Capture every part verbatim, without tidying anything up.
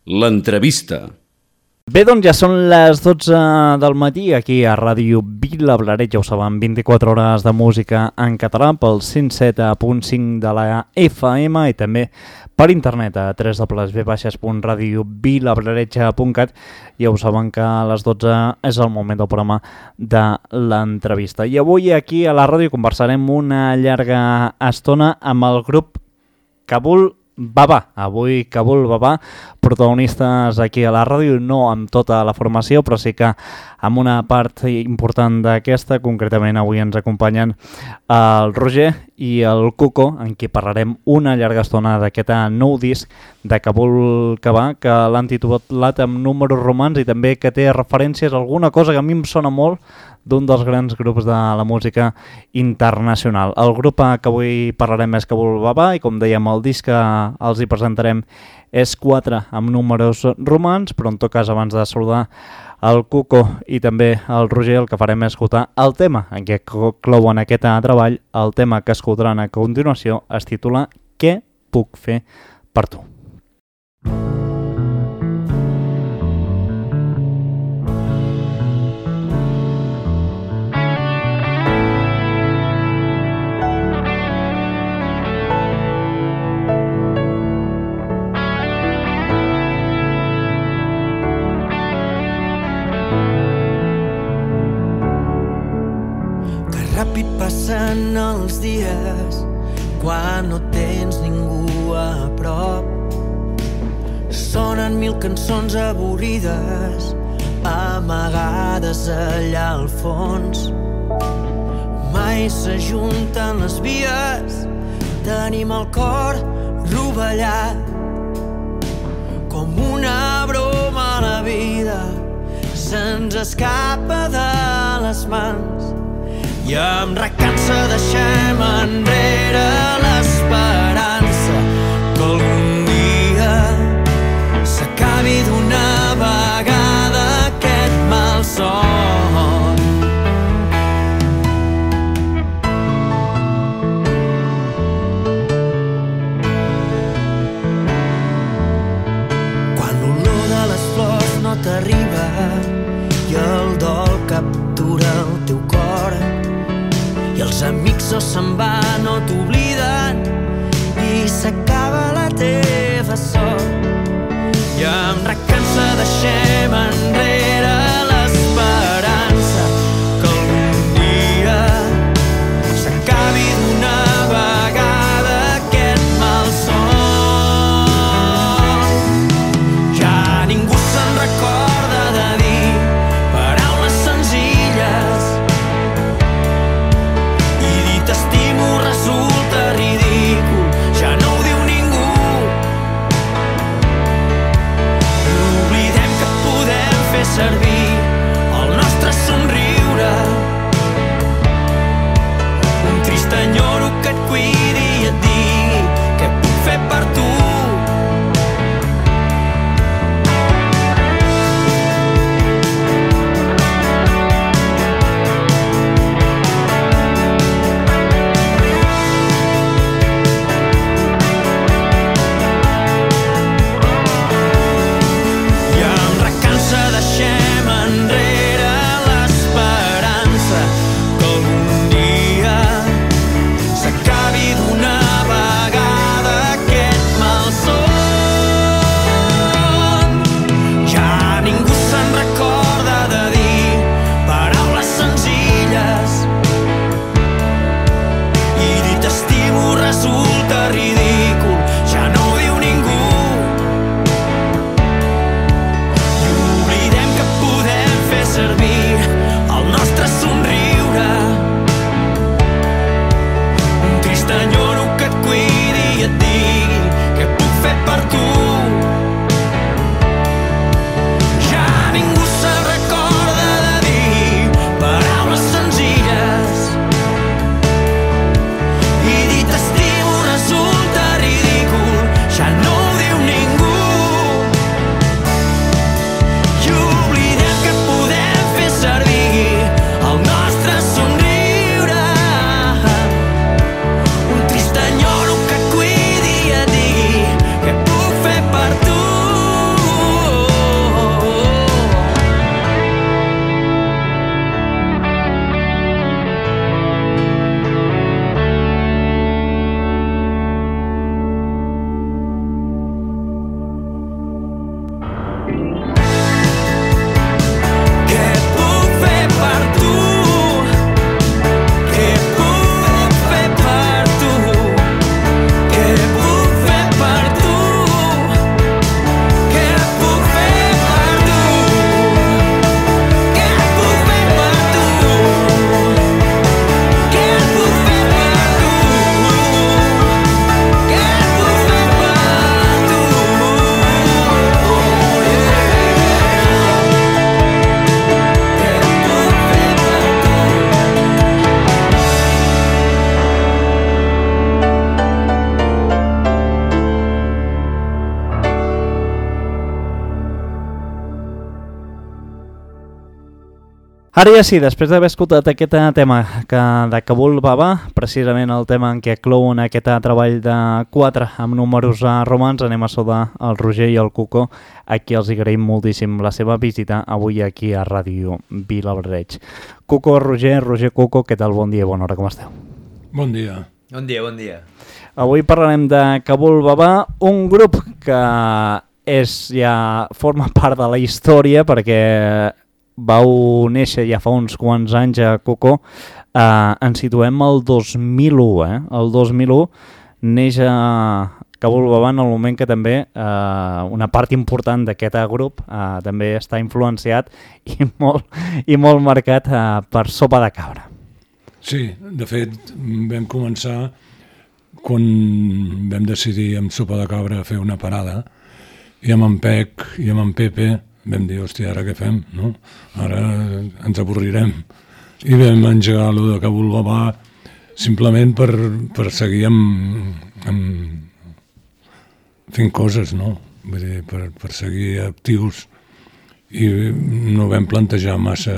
L'entrevista. Bé, doncs ja són les dotze del matí aquí a Ràdio Vilablareix, ja ho saben, vint-i-quatre hores de música en català pel cent set punt cinc de la F M i també per internet a w w w punt radio vilablareix punt cat. Ja ho saben que a les dotze és el moment del programa de l'entrevista. I avui aquí a la ràdio conversarem una llarga estona amb el grup Kabul Baba. Avui Kabul Baba, protagonistes aquí a la ràdio, no amb tota la formació, però sí que amb una part important d'aquesta. Concretament avui ens acompanyen el Roger i el Cuco, en qui parlarem una llarga estona d'aquest nou disc de Kabul Baba, que l'han titulat amb números romans i també que té referències a alguna cosa que a mi em sona molt d'un dels grans grups de la música internacional. El grup que avui parlarem és Kabul Baba i, com dèiem, el disc que els hi presentarem és quatre amb números romans, però en tot cas, abans de saludar el Cuco i també el Roger, el que farem és escoltar el tema en què clouen aquest treball. El tema que escoltaran a continuació es titula Què puc fer per tu? Ràpid passen els dies quan no tens ningú a prop. Sonen mil cançons avorrides amagades allà al fons. Mai s'ajunten les vies, tenim el cor rovellat. Com una broma la vida se'ns escapa de les mans. I em recansa, deixem enrere l'esperança que algun dia s'acabi d'una vegada aquest malson. Quan l'olor de les flors no t'arriba i el dol captura el teu cor, i els amics o se'n van o t'obliden i s'acaba la teva sort. I em recansa, deixem enrere l'esperança que algun dia s'acabi d'una vegada aquest malson. Ja ningú se'n recorda de dir paraules senzilles. T'estimo resulta ridícul, ja no ho diu ningú. Oblidem que podem fer servir el nostre somriure. Un trist enyoro que et cuidi i et digui què puc fer per tu. Deixem Ara ja sí, després d'haver escoltat aquest tema que de Kabul Baba, precisament el tema en què clouen aquest treball de quatre amb números romans, anem a saludar el Roger i el Cuco, a qui els agraïm moltíssim la seva visita avui aquí a Ràdio Vilablareix. Cuco, Roger, Roger, Cuco, què tal? Bon dia, bona hora, com esteu? Bon dia. Bon dia, bon dia. Avui parlarem de Kabul Baba, un grup que és ja forma part de la història perquè vau néixer ja fa uns quants anys a Cuco, eh, ens situem al dos mil u, eh? El dos mil u neix a Kabul Baba en el moment que també eh, una part important d'aquest grup eh, també està influenciat i molt, i molt marcat eh, per Sopa de Cabra. Sí, de fet vam començar quan vam decidir amb Sopa de Cabra fer una parada i amb en Pec i amb en Pepe vam dir, hòstia, ara què fem? No? Ara ens avorrirem. I vam engegar allò de Kabul Baba simplement per, per seguir amb, amb fent coses, no? Vull dir, per, per seguir actius. I no vam plantejar massa,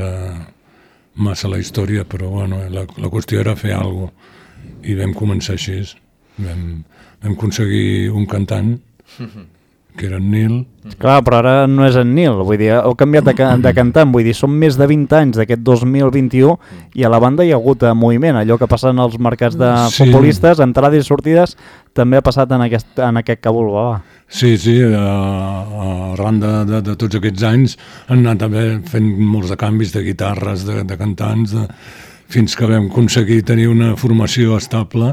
massa la història, però bueno, la, la qüestió era fer alguna cosa. I vam començar així. Vam, vam aconseguir un cantant, que era en Nil. Clar, però ara no és en Nil, vull dir, heu canviat de, de cantant, vull dir, són més de vint anys d'aquest dos mil vint-i-u i a la banda hi ha hagut moviment, allò que passa en els mercats de sí. futbolistes, entrades i sortides, també ha passat en aquest, en aquest Kabul Baba. Sí, sí, arran de, de, de tots aquests anys han anat també fent molts de canvis de guitarres, de, de cantants, de, fins que vam aconseguir tenir una formació estable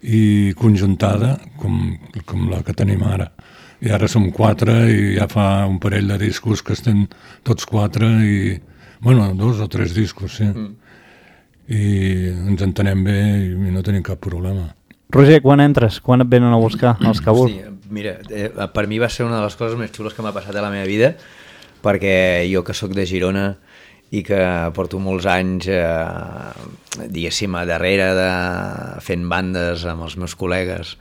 i conjuntada com, com la que tenim ara. I ara som quatre i ja fa un parell de discos que estem tots quatre i, bueno, dos o tres discos, sí. Mm. I ens entenem bé i no tenim cap problema. Roger, quan entres? Quan et venen a buscar els Kabul? Sí, mira, eh, per mi va ser una de les coses més xules que m'ha passat a la meva vida, perquè jo que sóc de Girona i que porto molts anys, eh, diguéssim, a darrere de fent bandes amb els meus col·legues,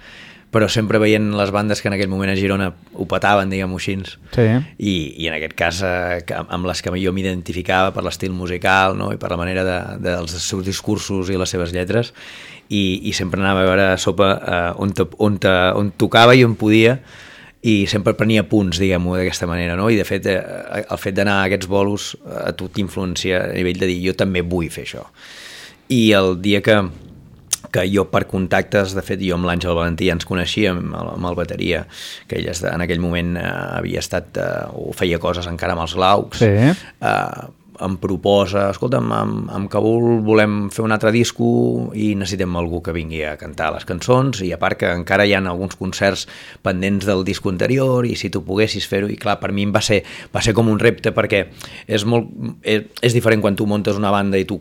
però sempre veient les bandes que en aquell moment a Girona ho petaven, diguem-ho així, sí. I, i en aquest cas eh, amb les que jo m'identificava per l'estil musical, no? I per la manera de, de, dels seus discursos i les seves lletres, i, i sempre anava a veure Sopa eh, on, te, on, te, on tocava i on podia, i sempre prenia punts, diguem-ho, d'aquesta manera, no? I de fet, eh, el fet d'anar a aquests bolos a tu t'influencia a nivell de dir jo també vull fer això. I el dia que que jo per contactes, de fet jo amb l'Àngel Valentí ja ens coneixíem, amb el bateria, que ell en aquell moment eh, havia estat, eh, o feia coses encara amb els Glaucs, sí. eh, em proposa, escolta'm, amb, amb Kabul volem fer un altre disco i necessitem algú que vingui a cantar les cançons, i a part que encara hi ha alguns concerts pendents del disco anterior i si tu poguessis fer-ho, i clar, per mi va ser, va ser com un repte perquè és, molt, és, és diferent quan tu muntes una banda i tu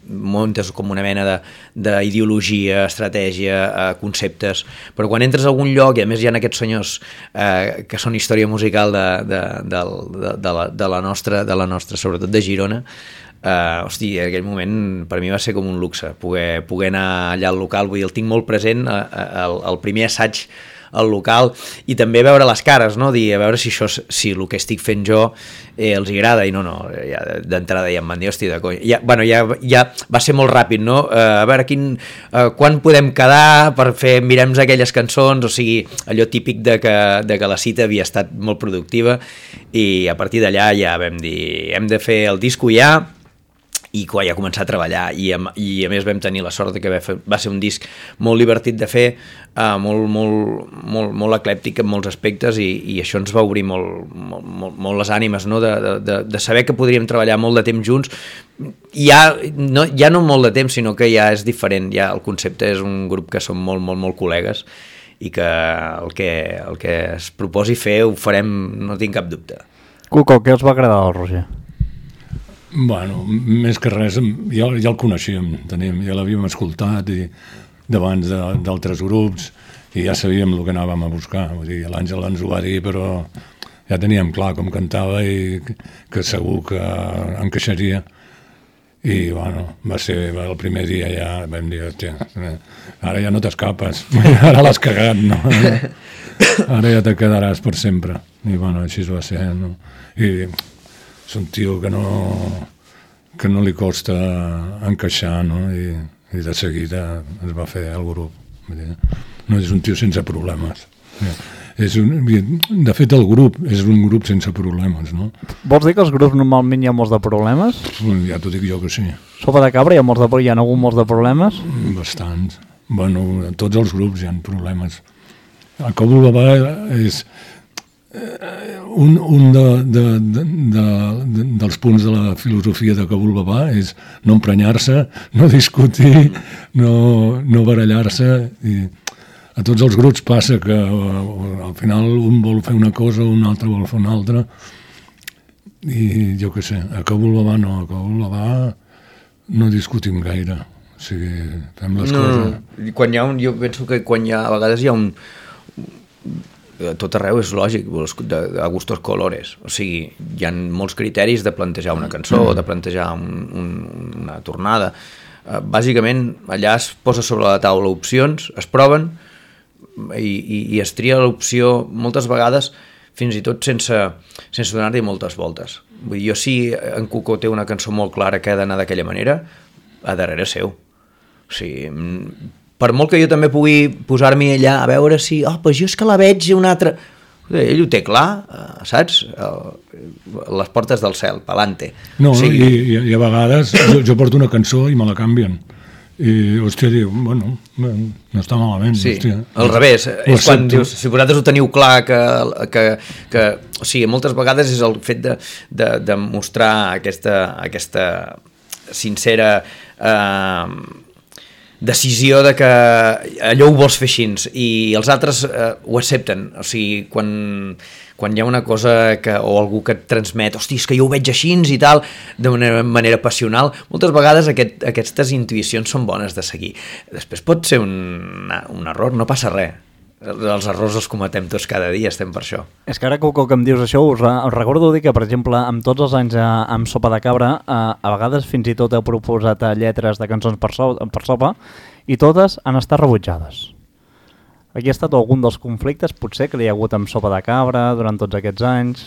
muntes com una mena d'ideologia, estratègia, eh, conceptes, però quan entres a algun lloc i a més hi ha aquests senyors eh, que són història musical de, de, de, de, de, la, de la nostra, de la nostra, sobretot de Girona, uh, hosti, en aquell moment per mi va ser com un luxe poder, poder anar allà al local, vull dir, el tinc molt present, uh, el, el primer assaig al local, i també veure les cares, no? Dir, a veure si això, si el que estic fent jo eh, els agrada, i no, no, ja, d'entrada ja em van dir, hosti, de conya, ja, bueno, ja, ja va ser molt ràpid, no? Uh, a veure quin, uh, quan podem quedar per fer, mirem aquelles cançons, o sigui, allò típic de que, de que la cita havia estat molt productiva, i a partir d'allà ja vam dir, hem de fer el disco ja, i quan ja començar a treballar, i a, i a més vam tenir la sort de que va, fer, va ser un disc molt divertit de fer, uh, molt, molt, molt, molt eclèptic en molts aspectes, i, i això ens va obrir molt, molt, molt, molt les ànimes, no? de, de, de saber que podríem treballar molt de temps junts, ja no, ja no molt de temps, sinó que ja és diferent, ja el concepte és un grup que som molt, molt, molt col·legues, i que el que, el que es proposi fer ho farem, no tinc cap dubte. Cuco, què us va agradar al Roger? Bueno, més que res, ja, ja el coneixíem, teníem, ja l'havíem escoltat i d'abans d'altres grups i ja sabíem el que anàvem a buscar. Vull dir, l'Àngel ens ho va dir, però ja teníem clar com cantava i que segur que encaixaria. I, bueno, va ser el primer dia ja vam dir, hòstia, ara ja no t'escapes, ara l'has cagat, no? Ara ja te quedaràs per sempre. I, bueno, així va ser, no? I és un tio que no, que no li costa encaixar, no? I, i de seguida es va fer el grup. No és un tio sense problemes. És un, de fet, el grup és un grup sense problemes, no? Vols dir que els grups normalment hi ha molts de problemes? Ja t'ho dic jo que sí. Sopa de Cabra hi ha, molts de, hi ha hagut molts de problemes? Bastants. Bueno, a tots els grups hi ha problemes. El Kabul Baba és un, un de, de, de, de, de, dels punts de la filosofia de Kabul Baba és no emprenyar-se, no discutir, no, no barallar-se. I a tots els grups passa que al final un vol fer una cosa, un altre vol fer una altra, i jo què sé, a Kabul Baba no, a Kabul Baba no discutim gaire, o sigui, fem les no, coses. Quan hi ha un, jo penso que quan hi ha, a vegades hi ha un, a tot arreu és lògic, de, de gustos colores, o sigui, hi ha molts criteris de plantejar una cançó, mm. de plantejar un, un, una tornada. Uh, bàsicament, allà es posa sobre la taula opcions, es proven, i, i, i es tria l'opció moltes vegades fins i tot sense, sense donar-hi moltes voltes. Vull dir, jo si en Cuco té una cançó molt clara que ha d'anar d'aquella manera, a darrere seu. O sigui, per molt que jo també pugui posar-m'hi allà a veure si, oh, pues jo és que la veig una altra... Ell ho té clar, saps? Les portes del cel, pa'lante. No, o sigui... i, i a vegades jo, jo porto una cançó i me la canvien. I, hòstia, diu, bueno, no està malament. Sí, hòstia. al revés. És quan dius, si vosaltres ho teniu clar, que, que, que o sigui, moltes vegades és el fet de, de, de mostrar aquesta, aquesta sincera... Eh, decisió de que allò ho vols fer així i els altres eh, ho accepten. O sigui, quan, quan hi ha una cosa que, o algú que et transmet, hosti, és que jo ho veig així i tal, d'una manera passional, moltes vegades aquest, aquestes intuïcions són bones de seguir. Després pot ser un, un error, no passa res. Els errors els cometem tots cada dia, estem per això. És que ara que, que em dius això, us, us recordo dir que, per exemple, amb tots els anys a, amb Sopa de Cabra, a, a vegades fins i tot heu proposat lletres de cançons per, so, per sopa, i totes han estat rebutjades. Aquí ha estat algun dels conflictes, potser, que hi ha hagut amb Sopa de Cabra durant tots aquests anys?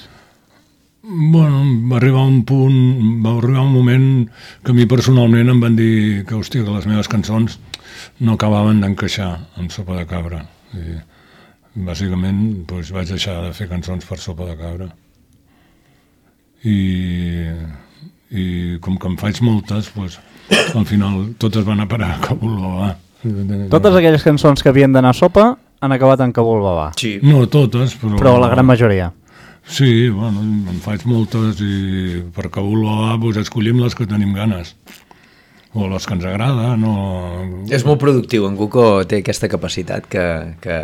Bueno, va arribar un punt, va arribar un moment que a mi personalment em van dir que, hòstia, que les meves cançons no acabaven d'encaixar amb Sopa de Cabra. I bàsicament doncs, vaig deixar de fer cançons per Sopa de Cabra i, i com que en faig moltes doncs, al final totes van a parar a Kabul Baba. Totes aquelles cançons que havien d'anar a Sopa han acabat en Kabul Baba. Sí. No totes, però... Però la gran majoria. Sí, bueno, en faig moltes i per Kabul Baba doncs, escollim les que tenim ganes. O les que ens agraden, o... És molt productiu, en Cuco té aquesta capacitat que, que,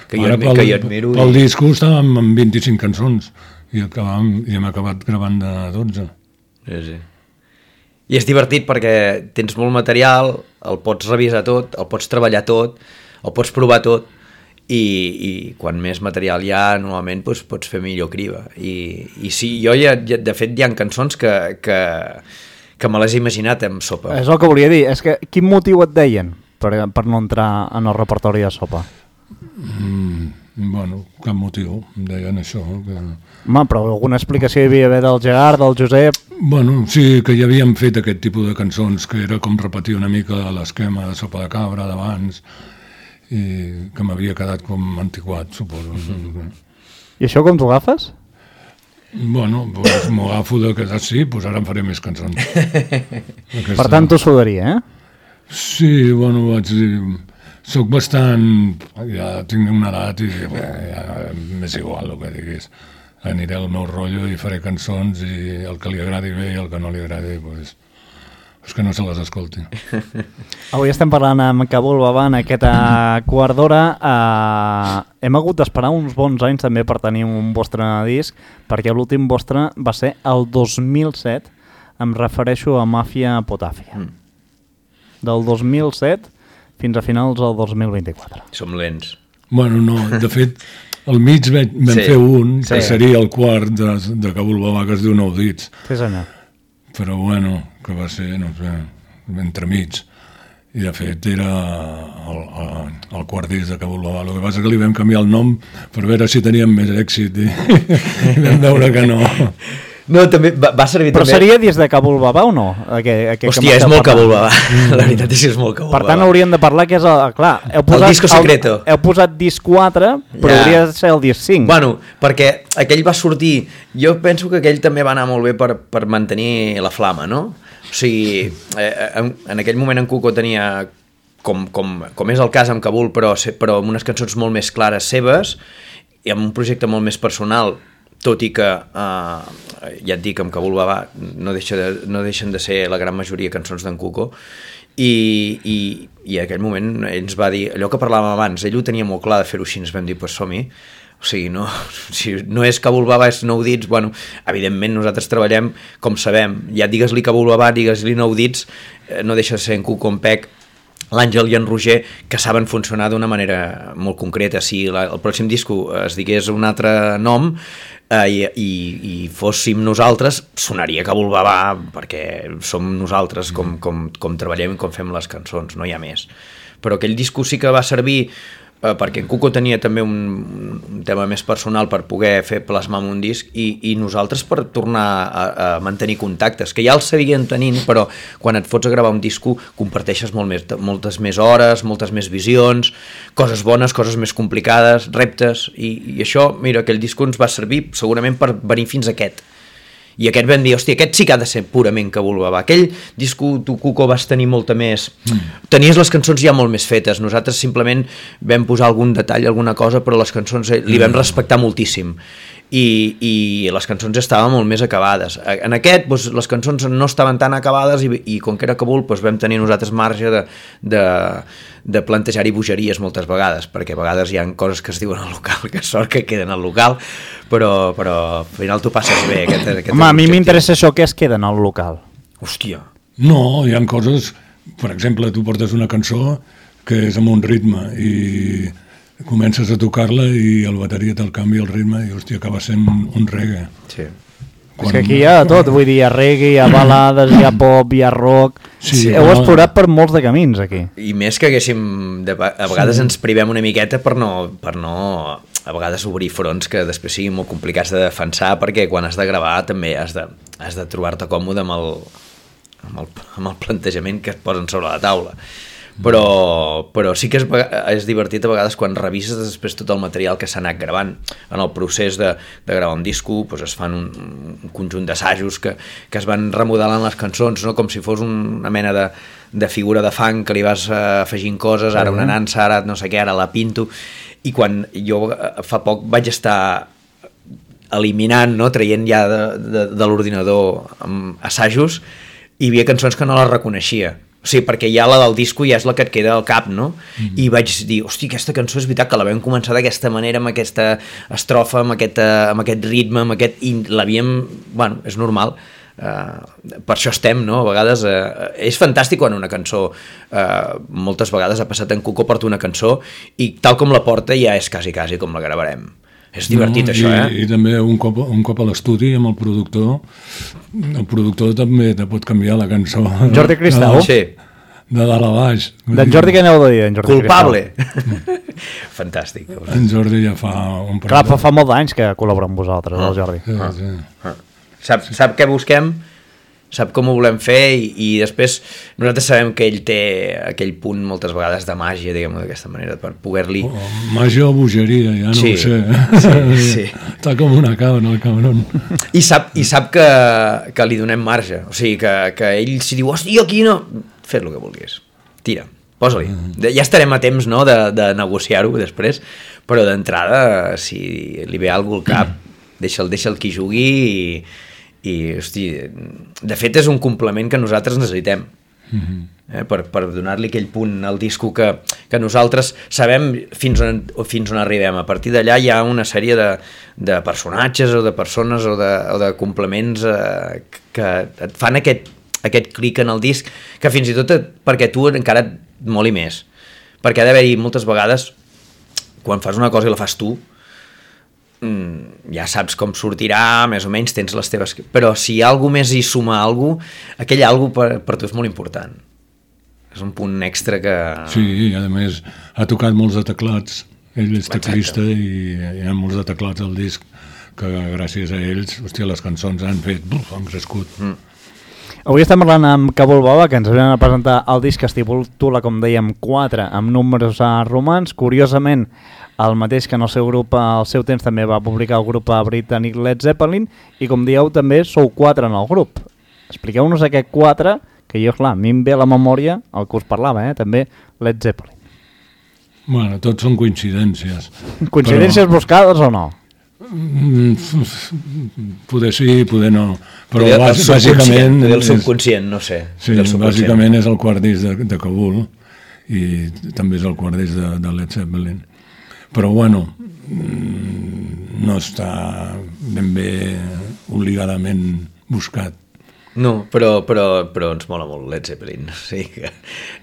que, jo, Ara, pel, que jo admiro. Pel i... disco estàvem amb vint-i-cinc cançons i, acabam, i hem acabat gravant de dotze. Sí, sí. I és divertit perquè tens molt material, el pots revisar tot, el pots treballar tot, el pots provar tot, i, i quan més material hi ha, normalment doncs, pots fer millor criba. I, i sí, jo ja, ja, de fet hi ha cançons que... que que me l'has imaginat amb Sopa. És el que volia dir, és que quin motiu et deien per, per no entrar en el repertori de Sopa? Mm, bueno, cap motiu, em deien això. Que... Home, però alguna explicació hi havia d'haver del Gerard, del Josep... Bueno, sí, que ja havíem fet aquest tipus de cançons, que era com repetir una mica l'esquema de Sopa de Cabra d'abans, i que m'havia quedat com antiquat, suposo. Mm-hmm. I això com t'ho agafes? Bueno, doncs m'ho agafo de que sí, doncs ara em faré més cançons. Aquesta... Per tant, t'ho sudaria, eh? Sí, bueno, vaig dir... Soc bastant... Ja tinc una edat i bé, ja m'és igual el que diguis. Aniré al meu rotllo i faré cançons i el que li agradi bé i el que no li agradi, doncs... és que no se les escolti. Avui estem parlant amb Kabul Baba en aquesta quart d'hora. Uh, hem hagut d'esperar uns bons anys també per tenir un vostre disc, perquè l'últim vostre va ser el dos mil set, em refereixo a Màfia Potàfia. Mm. Del dos mil set fins a finals del dos mil vint-i-quatre. Som lents. Bueno, no, de fet, al mig vam sí. fer un, que sí. seria el quart de, de Kabul Baba, que es diu Nou Dits. Sí, senyor. Però bueno, que va ser, no sé, entremig. I de fet era el, el, el quart disc de Kabul Baba. El que passa que li vam canviar el nom per veure si teníem més èxit i, i vam veure que no. No, també va, va servir Però també... seria dins de Kabul Baba o no? Aquest, aquest Hòstia, és molt Kabul Baba. La veritat és que és molt Kabul Baba. Per tant, hauríem de parlar que és... El, clar, heu posat, el disco secreto. El, heu posat disc quatre, però ja. hauria de ser el disc cinc. Bueno, perquè aquell va sortir... Jo penso que aquell també va anar molt bé per, per mantenir la flama, no? O sigui, eh, en, en aquell moment en Cuco tenia, com, com, com és el cas amb Kabul, però, però amb unes cançons molt més clares seves i amb un projecte molt més personal, tot i que, eh, ja et dic, amb Kabul Baba no, deixa de, no deixen de ser la gran majoria cançons d'en Cuco, i, i, i en aquell moment ell ens va dir, allò que parlàvem abans, ell ho tenia molt clar de fer-ho així, ens vam dir, pues som-hi, o sigui, no, si no és Kabul Baba, és Nou Dits, bueno, evidentment nosaltres treballem com sabem, ja digues-li Kabul Baba, digues-li Nou Dits, eh, no deixa de ser en Cuco, en Pec, l'Àngel i en Roger, que saben funcionar d'una manera molt concreta. Si la, el pròxim disco es digués un altre nom eh, i, i, i fóssim nosaltres, sonaria Kabul Baba, perquè som nosaltres com, com, com treballem i com fem les cançons, no hi ha més. Però aquell disco sí que va servir eh, perquè en Cuco tenia també un, un tema més personal per poder fer plasmar un disc i, i nosaltres per tornar a, a mantenir contactes, que ja els seguien tenint, però quan et fots a gravar un disco comparteixes molt més, moltes més hores, moltes més visions, coses bones, coses més complicades, reptes, i, i això, mira, aquell disco ens va servir segurament per venir fins a aquest. I aquest vam dir, hòstia, aquest sí que ha de ser purament Kabul Baba. Aquell disco, tu, Cuco, vas tenir molta més... Mm. Tenies les cançons ja molt més fetes. Nosaltres simplement vam posar algun detall, alguna cosa, però les cançons li vam respectar moltíssim. I, i les cançons estaven molt més acabades. En aquest, doncs, les cançons no estaven tan acabades i, i com que era Kabul, doncs, vam tenir nosaltres marge de, de, de plantejar-hi bogeries moltes vegades, perquè a vegades hi ha coses que es diuen al local, que sort que queden al local, però, però al final tu passes bé. Aquest, aquest Home, a mi m'interessa això, que es queda en el local. Hòstia. No, hi ha coses... Per exemple, tu portes una cançó que és amb un ritme i comences a tocar-la i el bateria te'l canvia el ritme i, hòstia, acaba sent un reggae. Sí. Quan... És que aquí hi ha de tot, vull dir, hi ha reggae, hi ha balades, hi ha pop, hi ha rock... Sí, heu però... explorat per molts de camins, aquí. I més que haguéssim... De... A vegades sí. ens privem una miqueta per no, per no... A vegades obrir fronts que després siguin molt complicats de defensar, perquè quan has de gravar també has de, has de trobar-te còmode amb el, amb, el, amb el plantejament que et posen sobre la taula. Però, però sí que és, és divertit a vegades quan revises després tot el material que s'ha anat gravant. En el procés de, de gravar un disco doncs es fan un, un conjunt d'assajos que, que es van remodelant les cançons, no? Com si fos una mena de, de figura de fang que li vas afegint coses, ara una nansa, ara no sé què, ara la pinto, i quan jo fa poc vaig estar eliminant, no? Traient ja de, de, de l'ordinador assajos, i hi havia cançons que no les reconeixia. O sigui, perquè ja la del disco ja és la que et queda al cap, no? Mm. I vaig dir, hosti, aquesta cançó és veritat que la vam començar d'aquesta manera, amb aquesta estrofa, amb aquest, amb aquest ritme, amb aquest... i l'havíem... Bueno, és normal. Uh, per això estem, no? A vegades... Uh, és fantàstic quan una cançó... Uh, moltes vegades ha passat en Cuco, porta una cançó i tal com la porta ja és quasi, quasi com la gravarem. És divertit, no, això, i, eh? I també un cop, un cop a l'estudi amb el productor, el productor també te pot canviar la cançó. Jordi Cristau? Sí. De dalt a baix. D'en Jordi què aneu de dir, en Jordi Culpable. Fantàstic. En Jordi ja fa un... Clar, fa, fa molt d'anys que col·labora amb vosaltres, ah, el Jordi. Sí, ah. sí. Ah. Sap, sap què busquem, sap com ho volem fer i, i després nosaltres sabem que ell té aquell punt moltes vegades de màgia, diguem-ho d'aquesta manera, per poder-li... Oh, màgia o bogeria, ja no sí, ho sé. Sí, sí. Està com una cabra, el cabron. I sap, i sap que, que li donem marge, o sigui, que, que ell si diu, hosti, aquí no... Fes el que vulguis, tira, posa-li. Ja estarem a temps, no?, de, de negociar-ho després, però d'entrada, si li ve algú al cap, deixa'l, deixa'l qui jugui i... i, hosti, de fet és un complement que nosaltres necessitem, mm-hmm. eh, per, per donar-li aquell punt al disco que, que nosaltres sabem fins on, fins on arribem. A partir d'allà hi ha una sèrie de, de personatges o de persones o de, o de complements eh, que et fan aquest, aquest clic en el disc, que fins i tot et, perquè tu encara et moli més, perquè ha d'haver-hi moltes vegades quan fas una cosa i la fas tu, ja saps com sortirà, més o menys tens les teves... Però si hi ha alguna més i suma alguna cosa, aquell alguna cosa per, per tu és molt important. És un punt extra que... Sí, i a més ha tocat molts de teclats. Ell és teclista i hi ha molts de teclats al disc. que gràcies a ells, hòstia, les cançons han fet, buf, han crescut. Mm. Avui estem parlant amb Cabul Baba, que ens venen a presentar el disc que es titula, com dèiem, quatre, amb números romans. Curiosament, el mateix que en el seu grup, al seu temps també va publicar el grup britànic Led Zeppelin, i com dieu, també sou quatre en el grup. Expliqueu-nos aquest quatre, que jo, clar, a mi em ve a la memòria el que us parlava, eh? També Led Zeppelin. Bueno, tots són coincidències. Coincidències però... buscades o no? Poder sí, poder no, però poder bàs, bàsicament el subconscient, no sé, sí, bàsicament és el quart disc de, de Cabul i també és el quart disc de, de Led Zeppelin, però bueno, no està ben bé obligadament buscat. No, però, però, però ens mola molt Led Zeppelin, o sigui que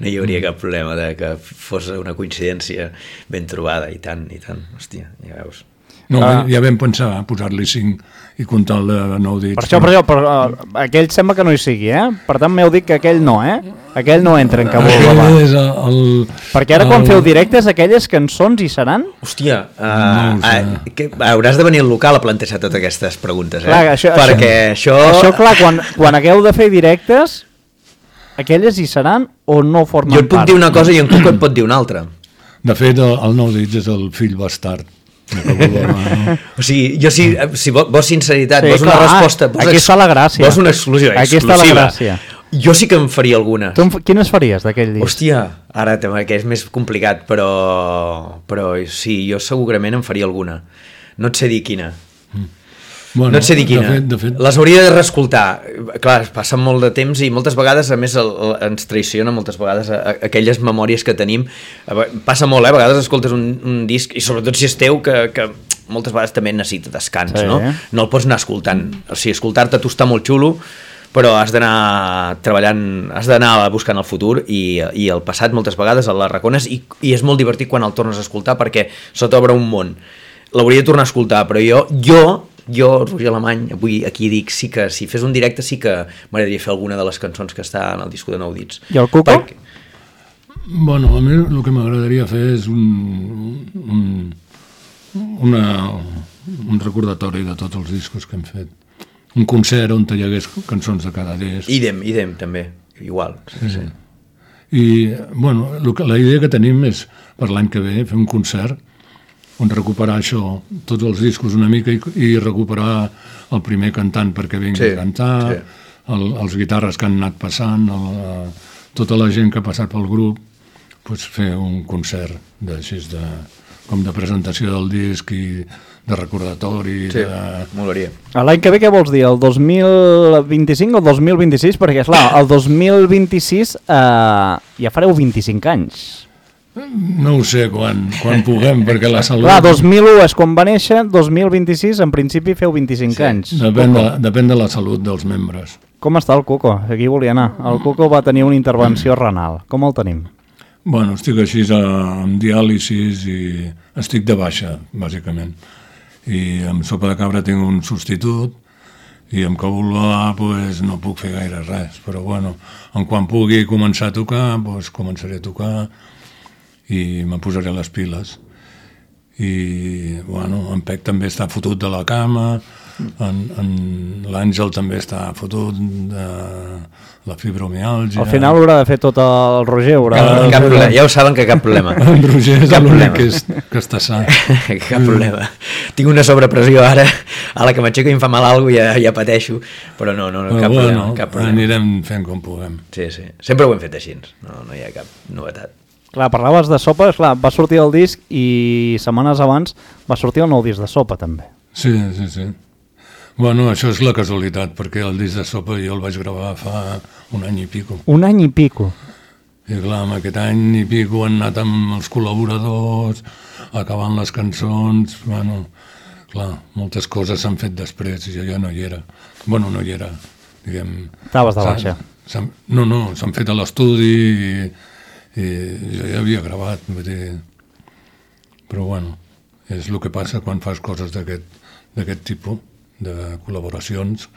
no hi hauria cap problema de que fos una coincidència ben trobada, i tant, i tant, hòstia, ja veus. No, ah. ja vam pensar posar-li cinc i comptar el de nou dits. Per això, per això, però, uh, aquell sembla que no hi sigui, eh? Per tant, m'heu dit que aquell no, eh? Aquell no entra en Cabul Baba. És el, el, Perquè ara, el... quan feu directes, aquelles cançons hi seran? Hòstia, uh, no uh, que, hauràs de venir al local a plantejar totes aquestes preguntes, eh? Clar, això, perquè això... Això, clar, quan, quan hagueu de fer directes, aquelles hi seran o no formen part? Jo et puc part? dir una cosa i en Cuco et pot dir una altra. De fet, el, el nou dits és el fill bastard. No? O sigui, jo si, si vols sinceritat, sí, vols una clar, resposta, vols, aquí està la gràcia. Vols una exclusiva, aquí exclusiva. Està la gràcia. Jo sí que en faria alguna. Tu, quines faries d'aquell disc? Hòstia, ara que és més complicat, però, però sí, jo segurament en faria alguna. No et sé dir quina. Mm. Bueno, no et sé dir quina. De fet, de fet... Les hauria de reescoltar. Clar, passa molt de temps i moltes vegades, a més, el, el, ens traiciona moltes vegades a, a, aquelles memòries que tenim. Passa molt, eh? A vegades escoltes un, un disc, i sobretot si és teu, que, que moltes vegades també necessita descans, sí, no? Eh? No el pots anar escoltant. O sigui, escoltar-te tu està molt xulo, però has d'anar treballant, has d'anar buscant el futur i, i el passat moltes vegades el l'arracones i, i és molt divertit quan el tornes a escoltar perquè se t'obre un món. L'hauria de tornar a escoltar, però jo, jo Jo, Roger Alemany, avui aquí dic sí que si fes un directe sí que m'agradaria fer alguna de les cançons que està en el disco de nou dits. I el Cuco? Perquè... Bueno, a mi el que m'agradaria fer és un, un, una, un recordatori de tots els discos que hem fet. Un concert on hi hagués cançons de cada disc. Idem, idem també, igual. Sí, sí. I, bueno, que, la idea que tenim és per l'any que ve fer un concert on recuperar això, tots els discos una mica i, i recuperar el primer cantant perquè vingui sí, a cantar, sí. el, els guitarres que han anat passant, el, tota la gent que ha passat pel grup, pues fer un concert de, així, de, com de presentació del disc i de recordatori. Sí, de... molaria. L'any que ve què vols dir? El dos mil vint-i-cinc o el dos mil vint-i-sis? Perquè, esclar, el dos mil vint-i-sis eh, ja fareu vint-i-cinc anys. No ho sé quan, quan puguem, perquè la salut... Clar, dos mil u és quan va néixer, dos mil vint-i-sis en principi feu vint-i-cinc sí, anys. Depèn de, depèn de la salut dels membres. Com està el Cuco? Aquí volia anar. El Cuco va tenir una intervenció renal. Com el tenim? Bueno, estic així amb diàlisis i estic de baixa, bàsicament. I amb sopa de cabra tinc un substitut i amb Cabul Baba pues, no puc fer gaire res, però bueno, en quan pugui començar a tocar, pues, començaré a tocar i me posaré les piles. I, bueno, en Pec també està fotut de la cama, en, en l'Àngel també està fotut de la fibromiàlgia. Al final haurà de fer tot el Roger. Haurà cap, de... cap problema, ja ho saben que cap problema. En Roger és l'únic que, és, que està sa. Cap problema. Tinc una sobrepressió ara, a la que m'aixeco i em fa mal alguna cosa ja, ja pateixo, però no, no, no però cap, bueno, problema, cap problema. Anirem fent com puguem. Sí, sí. Sempre ho hem fet així, no, no hi ha cap novetat. Clar, parlaves de sopa, clar, va sortir el disc i setmanes abans va sortir el nou disc de sopa també. Sí, sí, sí. Bueno, això és la casualitat, perquè el disc de sopa jo el vaig gravar fa un any i pico. Un any i pico? I clar, amb aquest any i pico han anat amb els col·laboradors, acabant les cançons, bueno, clar, moltes coses s'han fet després i jo ja no hi era. Bueno, no hi era, diguem... Estaves de baixa. No, no, s'han fet a l'estudi i... i jo ja havia gravat, vull dir, però bueno, és el que passa quan fas coses d'aquest tipus de col·laboracions,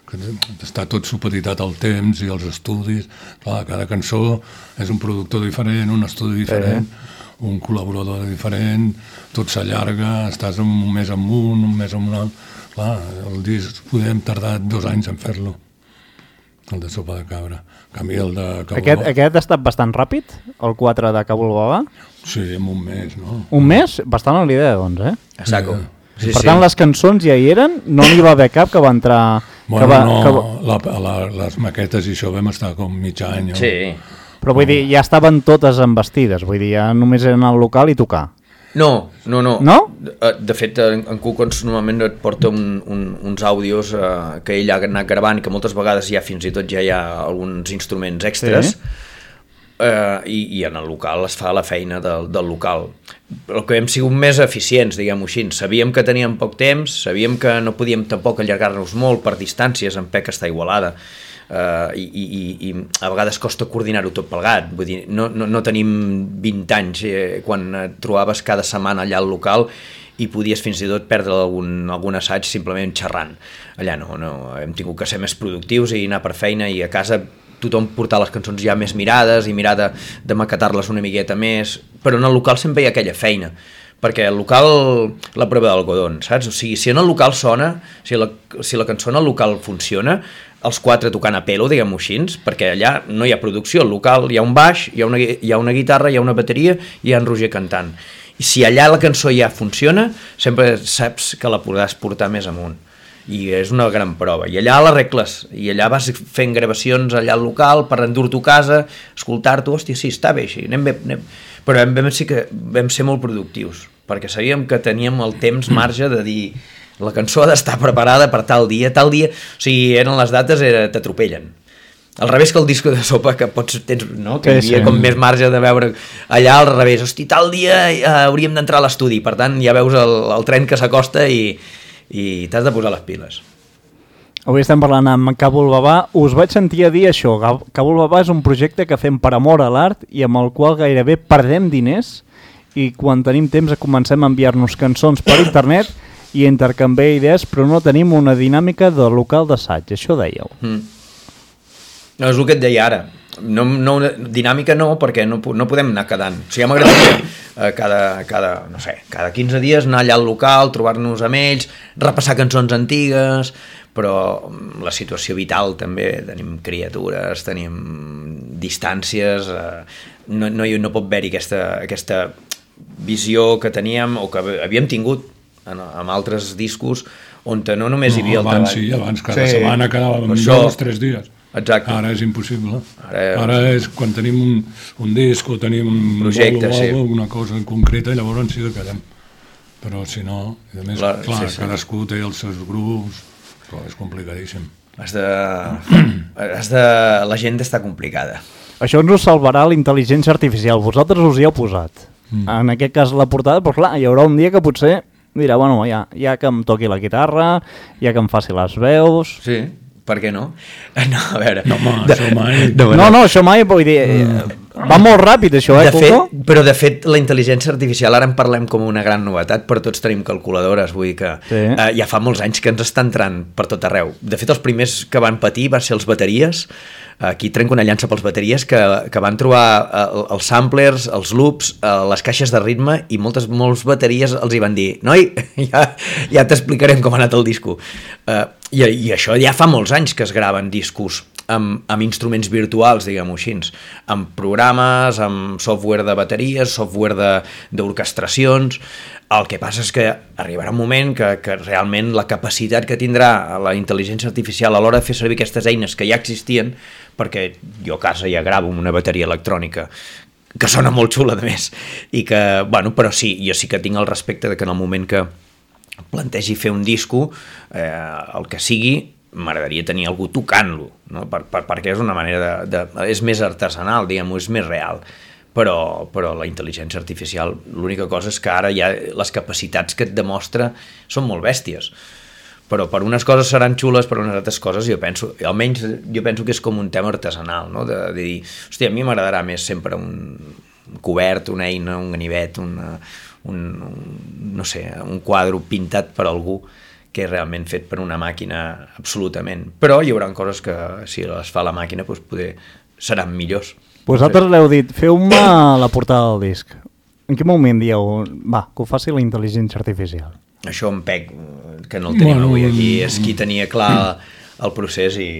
que està tot supeditat al temps i als estudis. Clar, cada cançó és un productor diferent, un estudi diferent, sí. un col·laborador diferent, tot s'allarga, estàs un mes amb un, un mes amb un altre. Clar, el disc podem tardar dos anys en fer-lo, el de Sopa de Cabra. En canvi, el de Cabul Aquest, Baba... aquest ha estat bastant ràpid, el quatre de Cabul Baba? Sí, en un mes, no? Un mes? Bastant a l'idea, doncs, eh? A saco. Sí, per sí. tant, les cançons ja hi eren, no n'hi va haver cap que va entrar... Bueno, que va, no, que va... la, la, les maquetes i això vam estar com mig any. O... Sí. Però vull dir, ja estaven totes embestides, vull dir, ja només eren al local i tocar. No, no, no. No? De, de fet, en, en Cucons normalment et porta un, un, uns àudios eh, que ell ha anat gravant, que moltes vegades ja fins i tot ja hi ha alguns instruments extras, sí. eh, i, i en el local es fa la feina del, del local. El que hem sigut més eficients, diguem-ho així. Sabíem que teníem poc temps, sabíem que no podíem tampoc allargar-nos molt per distàncies, en P E C està Igualada, Uh, i, i, i a vegades costa coordinar-ho tot plegat. Vull dir, no, no, no tenim vint anys eh, quan et trobaves cada setmana allà al local i podies fins i tot perdre algun, algun assaig simplement xerrant. Allà no, no, hem tingut que ser més productius i anar per feina, i a casa tothom portar les cançons ja més mirades i mirar de, de maquetar-les una miqueta més, però en el local sempre hi ha aquella feina, perquè el local, la prova d'algodon, saps? O sigui, si en el local sona, si la, si la cançó en el local funciona, els quatre tocant a pelo, diguem-ho així, perquè allà no hi ha producció, al local hi ha un baix, hi ha una, hi ha una guitarra, hi ha una bateria i hi ha en Roger cantant. I si allà la cançó ja funciona, sempre saps que la podràs portar més amunt. I és una gran prova. I allà l'arregles, i allà vas fent gravacions allà al local per endur-t'ho a casa, escoltar-t'ho, hòstia, sí, està bé així, anem bé, anem... Però vam, sí que vam ser molt productius, perquè sabíem que teníem el temps marge de dir la cançó ha d'estar preparada per tal dia, tal dia, o sigui, eren les dates, era, t'atropellen. Al revés que el disco de Sopa, que pots, tens, no? Que hi havia sí. com més marge de veure allà al revés, hosti, tal dia eh, hauríem d'entrar a l'estudi, per tant ja veus el, el tren que s'acosta i, i t'has de posar les piles. Avui estem parlant amb Cabul Baba. Us vaig sentir a dir això. Cabul Baba és un projecte que fem per amor a l'art i amb el qual gairebé perdem diners, i quan tenim temps comencem a enviar-nos cançons per internet i intercanviar idees, però no tenim una dinàmica de local d'assaig. Això dèieu. Mm. No, és el que et deia ara. No, no, dinàmica no, perquè no, no podem anar quedant. O sigui, ja m'agradaria eh, cada, cada, no sé, cada quinze dies anar allà al local, trobar-nos amb ells, repassar cançons antigues, però la situació vital també, tenim criatures, tenim distàncies, eh, no, no, no pot haver-hi aquesta, aquesta visió que teníem o que havíem tingut en, en altres discos, on no només no, hi havia el abans, treball. Sí, abans cada sí. setmana quedàvem Això... dos, tres dies. Exacte. Ara és impossible. Ara, Ara és quan tenim un, un disc o tenim un projecte, bolo, sí. alguna cosa en concreta, llavors sí que quedem. Però si no, i a més, la, clar, sí, sí. cadascú té els seus grups, però és complicadíssim. Has de... has de... L'agenda està complicada. Això ens ho salvarà la intel·ligència artificial. Vosaltres us hi heu posat. Mm. En aquest cas la portada, però clar, hi haurà un dia que potser dirà, bueno, ja, ja que em toqui la guitarra, ja que em faci les veus... Sí, per què no? No, a veure... No, home, de... això mai... No, no, no, això mai, vull dir... Mm. Va molt ràpid, això, eh, de fet, però, de fet, la intel·ligència artificial, ara en parlem com una gran novetat, però tots tenim calculadores, vull dir que sí. eh, ja fa molts anys que ens està entrant per tot arreu. De fet, els primers que van patir van ser els bateries. Aquí trenco una llança pels bateries que, que van trobar eh, els samplers, els loops, eh, les caixes de ritme, i moltes molts bateries els hi van dir, noi, ja, ja t'explicarem com ha anat el disco. Eh, i, I això ja fa molts anys que es graven discos amb, amb instruments virtuals, diguem-ho així, amb programes, amb software de bateries, software d'orquestracions. El que passa és que arribarà un moment que, que realment la capacitat que tindrà la intel·ligència artificial a l'hora de fer servir aquestes eines que ja existien, perquè jo a casa ja gravo una bateria electrònica que sona molt xula, de més, i que, bueno, però sí, jo sí que tinc el respecte de que en el moment que plantegi fer un disco, eh, el que sigui, m'agradaria tenir algú tocant-lo, no? per, per, perquè és una manera de, de... és més artesanal, diguem-ho, és més real. Però, però la intel·ligència artificial, l'única cosa és que ara ja les capacitats que et demostra són molt bèsties. Però per unes coses seran xules, per unes altres coses jo penso, almenys jo penso que és com un tema artesanal, no? de, de dir, hòstia, a mi m'agradarà més sempre un cobert, una eina, un ganivet, una, un, un, no sé, un quadre pintat per algú, que és realment fet per una màquina absolutament. Però hi haurà coses que, si les fa la màquina, doncs poder seran millors. Vosaltres l'heu dit, feu-me la portada del disc. en quin moment dieu, va, que ho faci la intel·ligència artificial? Això en Pec, que no el tenim bueno, avui aquí, és qui tenia clar el procés i...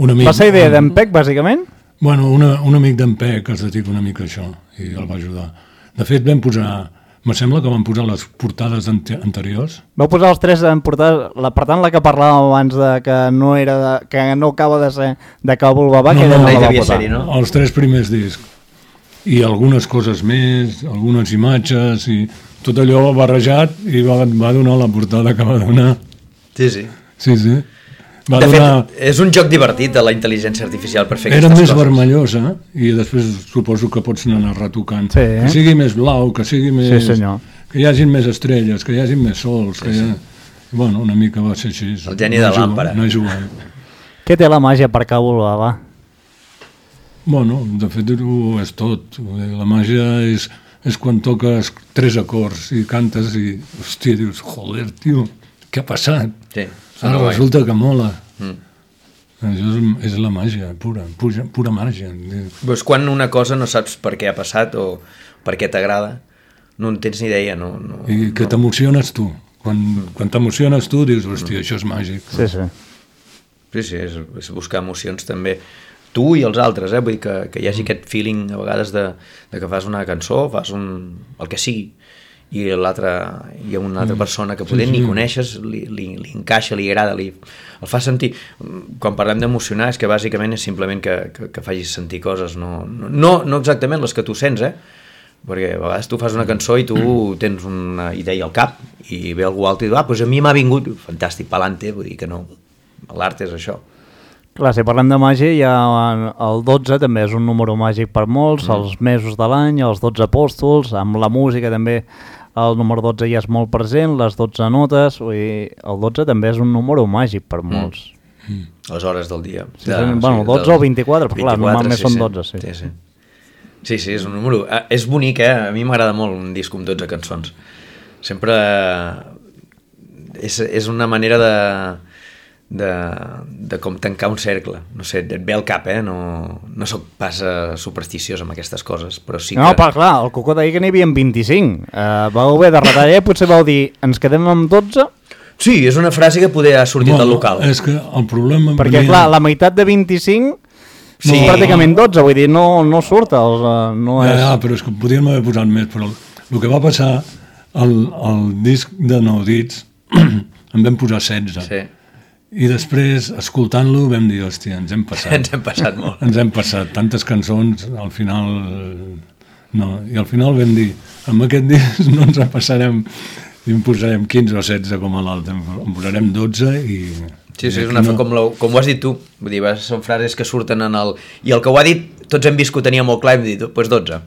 Un amic, va ser idea d'en Pec, bàsicament? Bueno, una, un amic d'en Pec es dedica una mica a això i el va ajudar. De fet, vam posar... Me sembla que vam posar les portades anteriors. Vau posar els tres en portades, la, per tant la que parlàvem abans de que no era de, que no acaba de ser de Càbul Babà, no, que no, no la va posar. Ser-hi, no? Els tres primers discs. I algunes coses més, algunes imatges, i tot allò barrejat i va, va donar la portada que va donar. Sí, sí. Sí, sí. Va de donar... fet, és un joc divertit de la intel·ligència artificial per fer Era aquestes més coses. Vermellosa i després suposo que pots anar retocant. Sí. Que sigui més blau, que sigui més... Sí, senyor. Que hi hagin més estrelles, que hi hagin més sols. Sí, que hi ha... sí. Bueno, una mica va ser així. El geni de l'àmpara. No jugant. Què té la màgia per Càbul Babà? Bueno, de fet ho és tot. La màgia és, és quan toques tres acords i cantes i, hòstia, dius, joder, tio, què ha passat? Sí. Ara resulta que mola. Mm. Això és, és la màgia, pura, pura, pura màgia. Pues quan una cosa no saps per què ha passat o per què t'agrada, no en tens ni idea. No, no, I que no. t'emociones tu. Quan, mm. quan t'emociones tu dius, hòstia, mm. això és màgic. Sí, sí. Sí, sí, és, és buscar emocions també. Tu i els altres, eh? Vull dir que, que hi hagi mm. aquest feeling a vegades de, de que fas una cançó, fas un, el que sigui, i l'altra hi ha una altra persona que poder sí, sí. ni coneixes, li, li, li encaixa, li agrada, li, el fa sentir. Quan parlem d'emocionar és que bàsicament és simplement que, que, que facis sentir coses, no, no, no exactament les que tu sents, eh? Perquè a vegades tu fas una cançó i tu tens una idea al cap i ve algú altre i diu, ah, doncs a mi m'ha vingut, fantàstic, pa'lante, vull dir que no, l'art és això. Clar, si parlem de màgia, ja el dotze també és un número màgic per molts, mm. els mesos de l'any, els dotze apòstols, amb la música també el número dotze ja és molt present, les dotze notes, vull dir, el dotze també és un número màgic per molts. Mm. Mm. Les hores del dia. Sí, de, bueno, dotze sí, o vint-i-quatre, però clar, normalment sí, són dotze, sí. Sí, sí. Sí, sí, és un número... Eh, és bonic, eh? A mi m'agrada molt un disc amb dotze cançons. Sempre... És, és una manera de... De, de com tancar un cercle, no sé, et ve al cap, eh? No, no soc pas uh, supersticiós amb aquestes coses, però sí que... No, però clar, el Cuco deia que n'hi havia vint-i-cinc. Uh, vau haver de retallar i potser vau dir, ens quedem amb dotze? Sí, és una frase que poder ha sortit bueno, del local. És que el problema... Perquè venia... clar, la meitat de vint-i-cinc sí. és pràcticament dotze, vull dir, no, no surt, el, no és... Ja, ja, però és que podríem haver posat més, però el, el que va passar al, al disc de Nou Dits en vam posar setze. Sí. I després, escoltant-lo, vam dir, hòstia, ens hem passat. Ens hem passat molt. Ens hem passat. Tantes cançons, al final... No. I al final vam dir, amb aquest disc no ens en passarem, i en posarem quinze o setze com a l'altre. En posarem dotze i... Sí, sí, és una no... com, la, com ho has dit tu. Vull dir, són frases que surten en el... I el que ho ha dit, tots hem vist que ho tenia molt clar, hem dit, doncs pues dotze.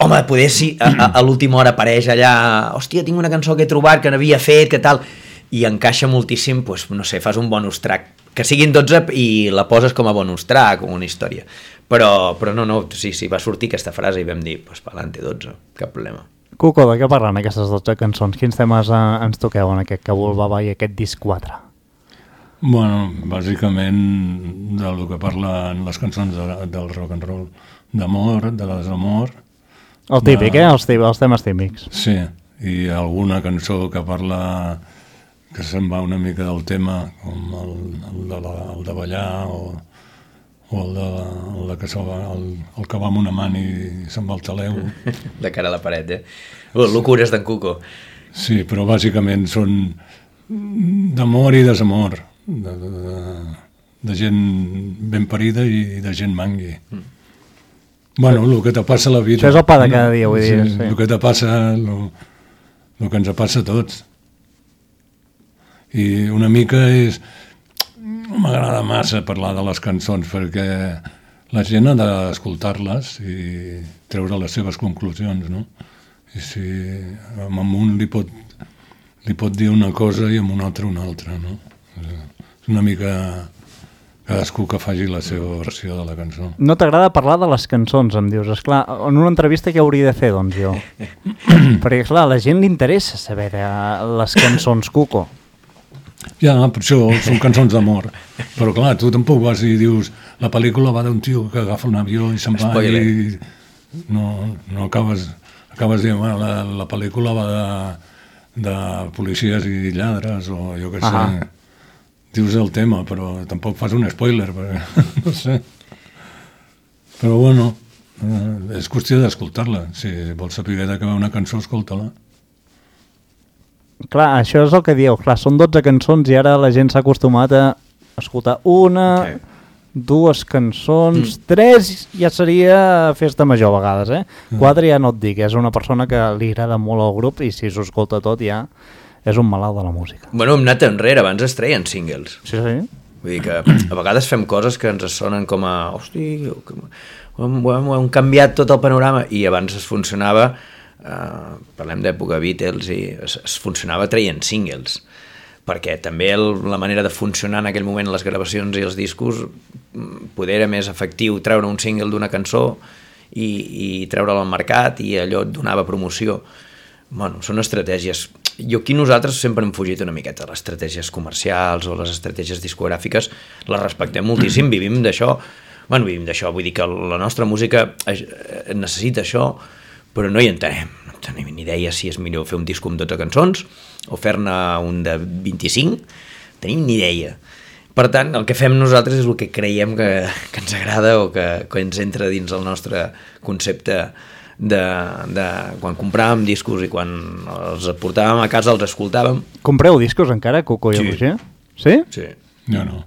Home, poder si a, a, a l'última hora apareix allà, hòstia, tinc una cançó que he trobat, que n'havia fet, que tal... i encaixa moltíssim, doncs, no sé, fas un bonus track, que siguin dotze i la poses com a bonus track, com una història. Però, però no, no, sí, sí, va sortir aquesta frase i vam dir, doncs, pa'lante, dotze, cap problema. Cuco, de què parlen aquestes dotze cançons? Quins temes eh, ens toqueu en aquest Càbul Babà i aquest disc quatre? Bueno, bàsicament del que parlen les cançons de, del rock and roll, d'amor, de desamor. El típic, de... eh? Els, els temes típics. Sí, i alguna cançó que parla... que se'n va una mica del tema, com el, el, de, la, el de ballar o, o el, de, el, de que va, el, el que va amb una man i se'n va al taleu. De cara a la paret, eh? Oh, locures d'en Cuco. Sí, però bàsicament són d'amor i desamor, de, de, de, de gent ben parida i de gent mangui. Mm. Bueno, el que te passa a la vida. Això és el pa de cada dia, vull dir. Sí, sí. El que te passa, el que ens passa a tots. I una mica és... No m'agrada massa parlar de les cançons perquè la gent ha d'escoltar-les i treure les seves conclusions, no? I si amb un li pot, li pot dir una cosa i amb un altre una altra, no? És una mica cadascú que faci la seva versió de la cançó. No t'agrada parlar de les cançons, em dius. Esclar, en una entrevista què hauria de fer, doncs, jo? Perquè, clar, a la gent li interessa saber de les cançons, Cuco. Ja, per això són cançons d'amor. Però clar, tu tampoc vas i dius la pel·lícula va d'un tio que agafa un avió i se'n va i no, no acabes acabes dient, bueno, la, la pel·lícula va de, de policies i lladres, o jo què sé, Ahà. dius el tema, però tampoc fas un spoiler, perquè no sé. Però bueno, eh, és qüestió d'escoltar-la. Si vols saber de què va una cançó, escolta-la. Clar, això és el que dieu. Clar, són dotze cançons i ara la gent s'ha acostumat a escoltar una, Sí. dues cançons, Mm. tres ja seria festa major a vegades, eh? Quatre ja no et dic, és una persona que li agrada molt al grup i si s'ho escolta tot ja és un malalt de la música. Bueno, hem anat enrere, abans es treien singles. Sí, sí. Vull dir que a vegades fem coses que ens sonen com a... Hosti, que ho hem, ho hem, ho hem canviat tot el panorama i abans es funcionava, eh, parlem d'època Beatles, i es, es funcionava traient singles, perquè també el, la manera de funcionar en aquell moment les gravacions i els discos poder era més efectiu treure un single d'una cançó i, i treure'l al mercat i allò et donava promoció. Bueno, són estratègies. Jo aquí nosaltres sempre hem fugit una miqueta les estratègies comercials o les estratègies discogràfiques, les respectem moltíssim, vivim d'això, bueno, vivim d'això, vull dir que la nostra música necessita això, però no hi entenem, no tenim ni idea si és millor fer un disc amb dotze cançons o fer-ne un de vint-i-cinc, tenim ni idea. Per tant, el que fem nosaltres és el que creiem que, que ens agrada o que, que ens entra dins el nostre concepte de, de quan compràvem discos i quan els portàvem a casa els escoltàvem. Compreu discos encara, Coco i Sí. Roger? Sí? Sí. Jo no.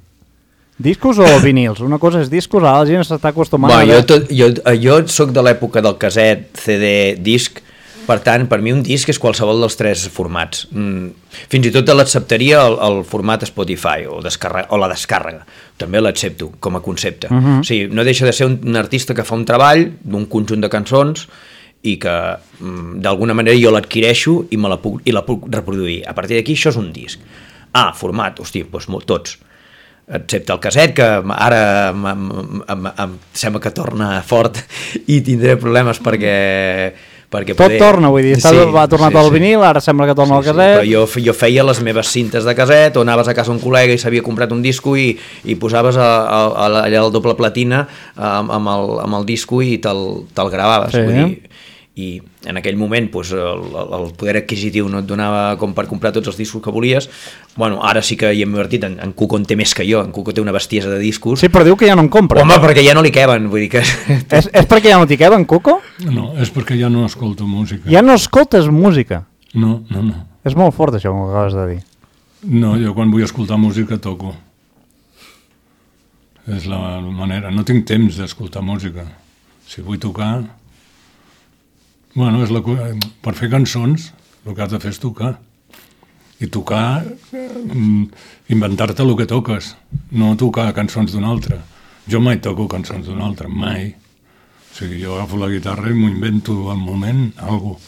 Discos o vinils? Una cosa és discos, ara la gent s'està acostumant Bueno, a... jo, tot, jo, jo soc de l'època del caset, C D, disc, per tant, per mi un disc és qualsevol dels tres formats. Mm, fins i tot l'acceptaria el, el format Spotify o, descarrega, o la descàrrega. També l'accepto com a concepte. Uh -huh. O sigui, no deixa de ser un, un artista que fa un treball d'un conjunt de cançons i que mm, d'alguna manera jo l'adquireixo i, me la puc, i la puc reproduir. A partir d'aquí això és un disc. Ah, format, hosti, doncs molt, tots. Excepte el caset, que ara em, em, em, em sembla que torna fort i tindré problemes perquè... perquè Tot poder... torna, vull dir, sí, va tornar sí, tot el sí. vinil, ara sembla que torna Sí, el sí, caset... però jo, jo feia les meves cintes de caset, o anaves a casa un col·lega i s'havia comprat un disco i, i posaves a, a, a, allà el doble platina amb, amb, el, amb el disco i te'l te gravaves. Sí. Vull dir, i en aquell moment pues, el, el poder adquisitiu no et donava com per comprar tots els discos que volies. Bueno, ara sí que hi hem invertit, en, en Cuco en té més que jo, en Cuco té una bestiesa de discos. Sí, però diu que ja no en compra. Home, perquè ja no li queben, vull dir que... És, és perquè ja no t'hi queben, Coco? No, és perquè ja no escolto música. Ja no escoltes música. No, no, no. És molt fort això, com acabes de dir. No, jo quan vull escoltar música toco. És la manera. No tinc temps d'escoltar música. Si vull tocar... Bueno, és la... per fer cançons el que has de fer és tocar. I tocar, eh, inventar-te el que toques, no tocar cançons d'un altre. Jo mai toco cançons d'un altre, mai. O sigui, jo agafo la guitarra i m'ho invento al moment, algo.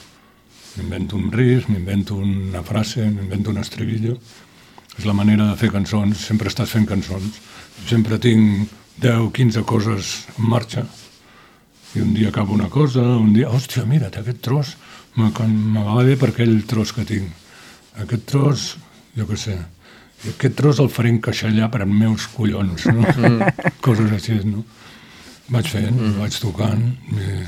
M'invento un riff, m'invento una frase, m'invento un estribillo. És la manera de fer cançons, sempre estàs fent cançons. Sempre tinc deu, quinze coses en marxa. I un dia acabo una cosa, un dia, hòstia, mira't, aquest tros m'agrada bé per aquell tros que tinc. Aquest tros, jo què sé, i aquest tros el faré encaixallar per als meus collons, no? Mm. Coses així, no? Vaig fent, mm. vaig tocant, i,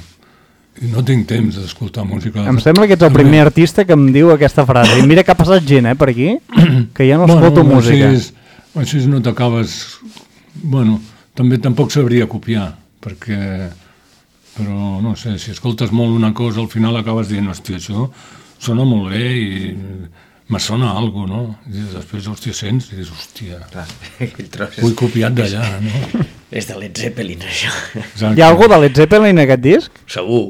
i no tinc temps d'escoltar música. Em sembla que ets el primer artista que em diu aquesta frase. I mira que ha passat gent, eh, per aquí, que ja no escolto bueno, música. Així, així no t'acabes... Bueno, també tampoc sabria copiar, perquè... Però, no sé, si escoltes molt una cosa, al final acabes dient, hòstia, això sona molt bé i me sona alguna cosa, no? I després, hòstia, sents i dius, hòstia, Clar, aquell tros ho he és, copiat d'allà, no? és de Led Zeppelin, això. Exacte. Hi ha algú de Led Zeppelin en aquest disc? Segur.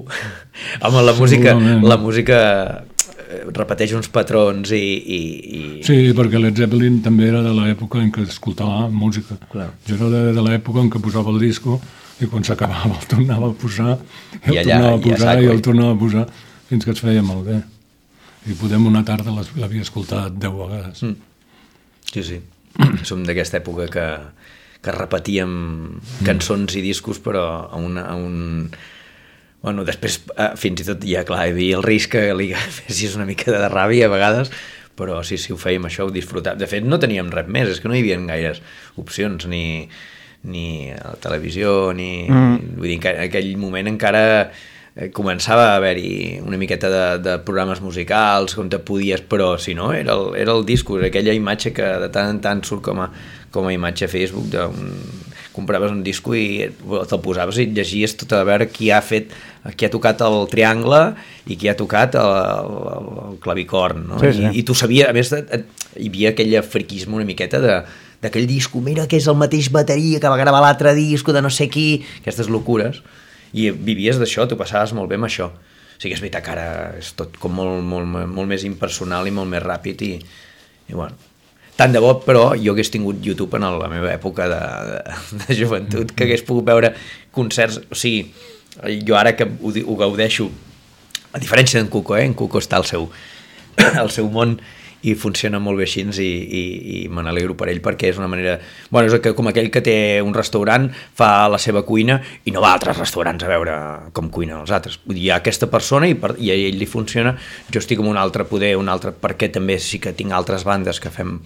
Home, la música, Segurament. la música eh, repeteix uns patrons i... i, i... Sí, perquè Led Zeppelin també era de l'època en què escoltava música. Clar. Jo era de, de l'època en què posava el disco i quan s'acabava el tornava a posar, i el I allà, tornava a i a posar, saco, i el eh? tornava a posar, fins que es feia molt bé. I podem una tarda les- l'havia escoltat deu vegades. Mm. Sí, sí. Som d'aquesta època que, que repetíem cançons i discos, però a, una, a un... Bueno, després, eh, fins i tot, ja clar, hi havia el risc que li fessis una mica de ràbia a vegades, però sí, sí, ho fèiem això, ho disfrutàvem. De fet, no teníem res més, és que no hi havia gaires opcions, ni, ni a la televisió, ni... Mm. Vull dir, en aquell moment encara eh, començava a haver-hi una miqueta de, de programes musicals on te podies, però si no, era el, era el disco, aquella imatge que de tant en tant surt com a, com a imatge a Facebook, d'un, compraves un disco i te'l posaves i llegies tot a veure qui ha fet, qui ha tocat el triangle i qui ha tocat el, el, el clavicorn, no? Sí, sí. I, i tu sabies, a més, hi havia aquell friquisme una miqueta de d'aquell disco, mira que és el mateix bateria que va gravar l'altre disco de no sé qui, aquestes locures, i vivies d'això, t'ho passaves molt bé amb això. O sigui, és veritat que ara és tot com molt, molt, molt més impersonal i molt més ràpid i, i bueno, tant de bo, però jo hagués tingut YouTube en la meva època de, de, de joventut, que hagués pogut veure concerts, o sigui, jo ara que ho, ho gaudeixo, a diferència d'en Cuco, eh? En Cuco està al seu, al seu món, i funciona molt bé així i, i, i me n'alegro per ell perquè és una manera... Bueno, és que com aquell que té un restaurant, fa la seva cuina i no va a altres restaurants a veure com cuinen els altres. Vull dir, hi ha aquesta persona i, per, i a ell li funciona, jo estic amb un altre poder, un altre, perquè també sí que tinc altres bandes que fem,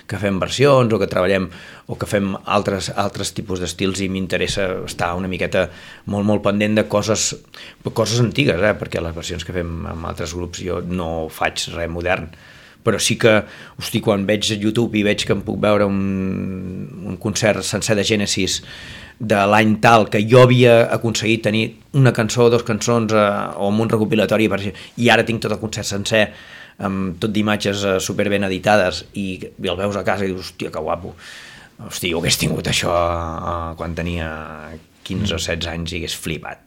que fem versions o que treballem o que fem altres, altres tipus d'estils i m'interessa estar una miqueta molt, molt pendent de coses, coses antigues, eh? Perquè les versions que fem amb altres grups jo no faig res modern, però sí que, hosti, quan veig a YouTube i veig que em puc veure un, un concert sencer de Genesis de l'any tal, que jo havia aconseguit tenir una cançó o dues cançons eh, o amb un recopilatori i ara tinc tot el concert sencer amb tot d'imatges eh, superben editades i, i el veus a casa i dius, hòstia, que guapo, hòstia, jo hagués tingut això eh, quan tenia quinze o setze anys i hagués flipat.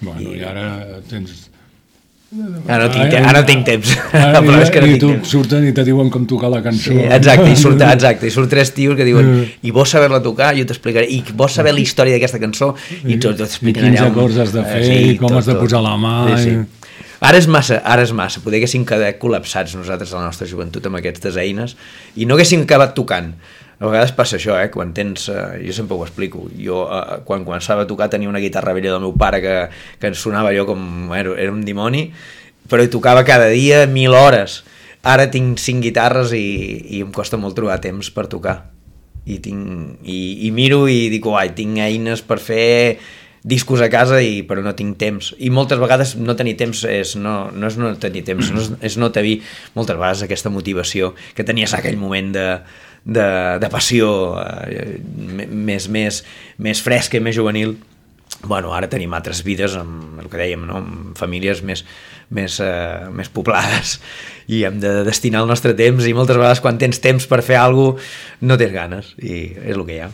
Bueno, i, i ara tens... Ara no tinc, te ara no tinc temps. Ara, però és que no i tinc tu temps. surten i te diuen com tocar la cançó. Sí, exacte, i surt, exacte, i surt tres tios que diuen i vols saber-la tocar? Jo t'explicaré. I vols saber la història d'aquesta cançó? I tot t'explicaré. I quins acords has de fer, sí, i com tot, has de posar tot. la mà. Sí, sí. I... Ara és massa, ara és massa. Poder haguéssim quedat col·lapsats nosaltres a la nostra joventut amb aquestes eines i no haguéssim acabat tocant. A vegades passa això, eh? Quan tens... Eh, jo sempre ho explico. Jo, eh, quan començava a tocar, tenia una guitarra vella del meu pare que, que ens sonava allò com... Bueno, era un dimoni, però hi tocava cada dia mil hores. Ara tinc cinc guitarres i, i em costa molt trobar temps per tocar. I, tinc, i, i miro i dic, uai, tinc eines per fer discos a casa, i, però no tinc temps. I moltes vegades no tenir temps és no, no és no tenir temps, no és, és no tenir moltes vegades aquesta motivació que tenies en aquell moment de, de, de passió eh, més, més, més fresca i més juvenil. Bueno, ara tenim altres vides, amb el que dèiem, no? Amb famílies més, més, eh, més poblades i hem de destinar el nostre temps, i moltes vegades quan tens temps per fer alguna cosa no tens ganes, i és el que hi ha.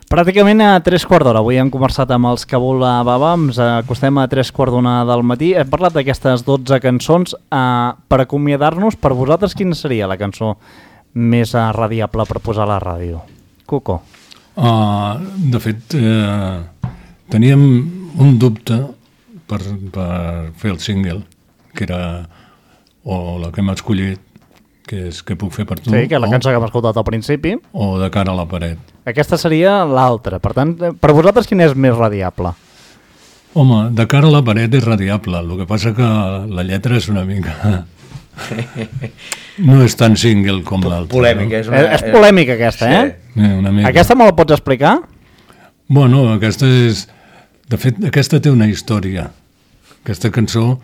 Pràcticament a tres quarts d'hora. Avui hem conversat amb els Kabul Baba, ens acostem a tres quarts d'una del matí. Hem parlat d'aquestes dotze cançons. Eh, per acomiadar-nos, per vosaltres, quina seria la cançó més uh, radiable per posar a la ràdio? Cuco. Uh, de fet, eh, teníem un dubte per, per fer el single, que era o la que hem escollit, que és Què puc fer per tu? Sí, que és la o, cançó que hem escoltat al principi. O De cara a la paret. Aquesta seria l'altra. Per tant, per vosaltres, quina és més radiable? Home, De cara a la paret és radiable. El que passa que la lletra és una mica... no és tan single com l'altra. Polèmica. No? És, una... és, és polèmica aquesta, sí. eh? Eh, una mica. Aquesta me la pots explicar? Bueno, aquesta és... De fet, aquesta té una història. Aquesta cançó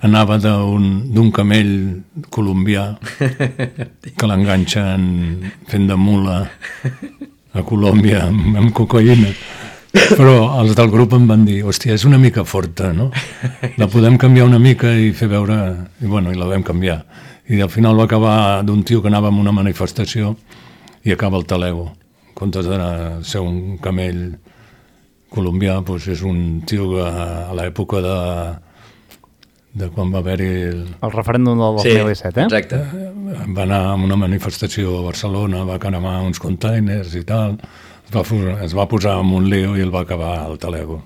anava d'un camell colombià que l'enganxen fent de mula a Colòmbia amb, amb cocaïna. Però els del grup em van dir, hòstia, és una mica forta, no? La podem canviar una mica i fer veure... I bueno, i la vam canviar. I al final va acabar d'un tio que anava a una manifestació i acaba el talego. En comptes de ser un camell colombià, doncs és un tio que a l'època de... de quan va haver-hi... El... el referèndum del dos mil disset, eh? Exacte. Va anar a una manifestació a Barcelona, va cremar uns containers i tal, es va, es va posar en un lío i el va acabar al talego.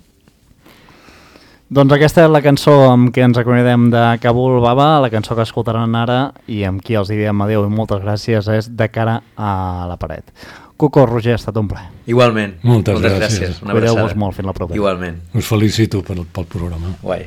Doncs aquesta és la cançó amb què ens acomiadem de Kabul Baba, la cançó que escoltaran ara i amb qui els diem adeu i moltes gràcies és De cara a la paret. Cuco, Roger, ha estat un plaer. Igualment. Moltes, moltes gràcies. gràcies. Cuideu-vos molt, fins la propera. Igualment. Us felicito pel, pel programa. Guai.